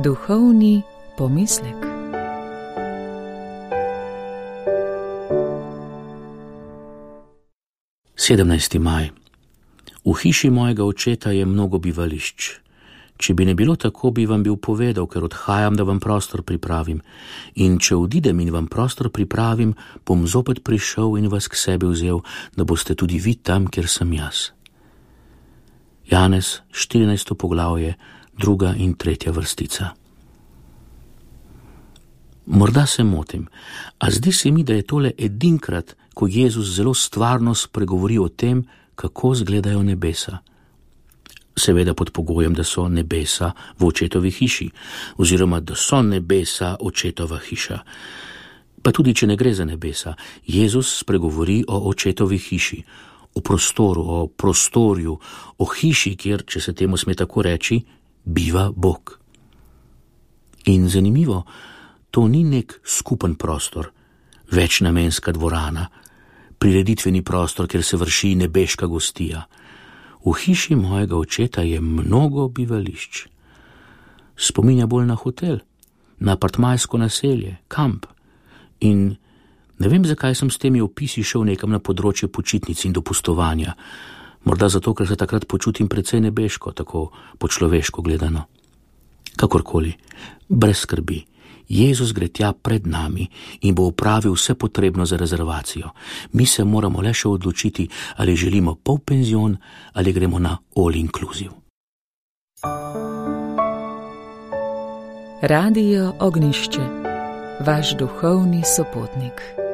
Duhovni pomislek. Sedemnajsti maj. V hiši mojega očeta je mnogo bivališč. Če bi ne bilo tako, bi vam bil povedal, ker odhajam, da vam prostor pripravim. In če odidem in vam prostor pripravim, bom zopet prišel in vas k sebi vzel, da boste tudi vi tam, kjer sem jaz. Janez, 14. poglavje, 2. in 3. vrstica. Morda se motim, a zdi se mi, da je tole edinkrat, ko Jezus zelo stvarno spregovori o tem, kako izgledajo nebesa. Seveda pod pogojem, da so nebesa v očetovi hiši, oziroma da so nebesa očetova hiša. Pa tudi, če ne gre za nebesa, Jezus spregovori o očetovi hiši, o prostoru, o prostorju, o hiši, kjer, če se temu sme tako reči, biva Bog. In zanimivo, to ni nek skupen prostor, večnamenska dvorana, prireditveni prostor, kjer se vrši nebeška gostija. V hiši mojega očeta je mnogo bivališč. Spominja bolj na hotel, na apartmajsko naselje, kamp. In ne vem, zakaj sem s temi opisi šel nekam na področje počitnic in dopustovanja. Morda zato, ker se takrat počutim precej nebeško, tako po človeško gledano. Kakorkoli, brez skrbi. Jezus gre tja pred nami in bo opravil vse potrebno za rezervacijo. Mi se moramo le še odločiti, ali želimo polpenzion ali gremo na all inclusive. Radio Ognjišče, vaš duhovni sopotnik.